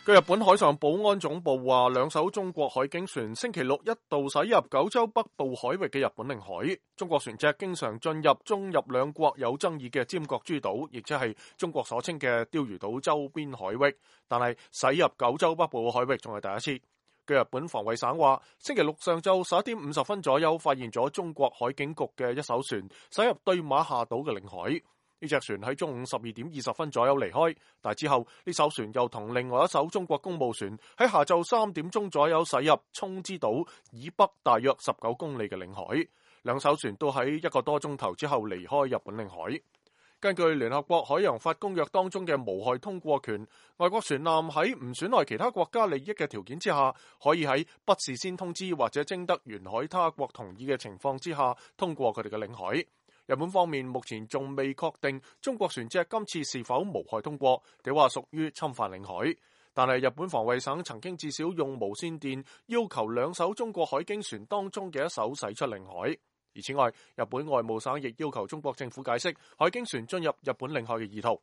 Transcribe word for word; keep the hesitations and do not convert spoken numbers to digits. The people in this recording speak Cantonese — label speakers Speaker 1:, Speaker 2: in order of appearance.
Speaker 1: 據日本海上保安總部話，兩艘中國海警船星期六一度駛入九州北部海域嘅日本領海。中國船隻經常進入中日兩國有爭議嘅尖閣諸島，亦即係中國所稱嘅釣魚島周邊海域，但係駛入九州北部海域仲係第一次。據日本防衛省話，星期六上晝十一點五十分左右，發現咗中國海警局嘅一艘船駛入對馬下島嘅領海。呢隻船喺中午十二點二十分左右離開，但之後呢艘船又同另外一艘中國公務船喺下晝三點鐘左右駛入沖之島以北大約十九公里嘅領海。兩艘船都喺一個多鐘頭之後離開日本領海。根據聯合國海洋法公約當中嘅無害通過權，外國船艦喺唔損害其他國家利益嘅條件之下，可以喺不事先通知或者徵得沿海他國同意嘅情況之下通過佢哋嘅領海。日本方面目前仲未確定中國船隻今次是否無害通過，定話屬於侵犯領海。但係日本防衛省曾經至少用無線電要求兩艘中國海警船當中嘅一艘駛出領海。而此外，日本外務省亦要求中國政府解釋海警船進入日本領海嘅意圖。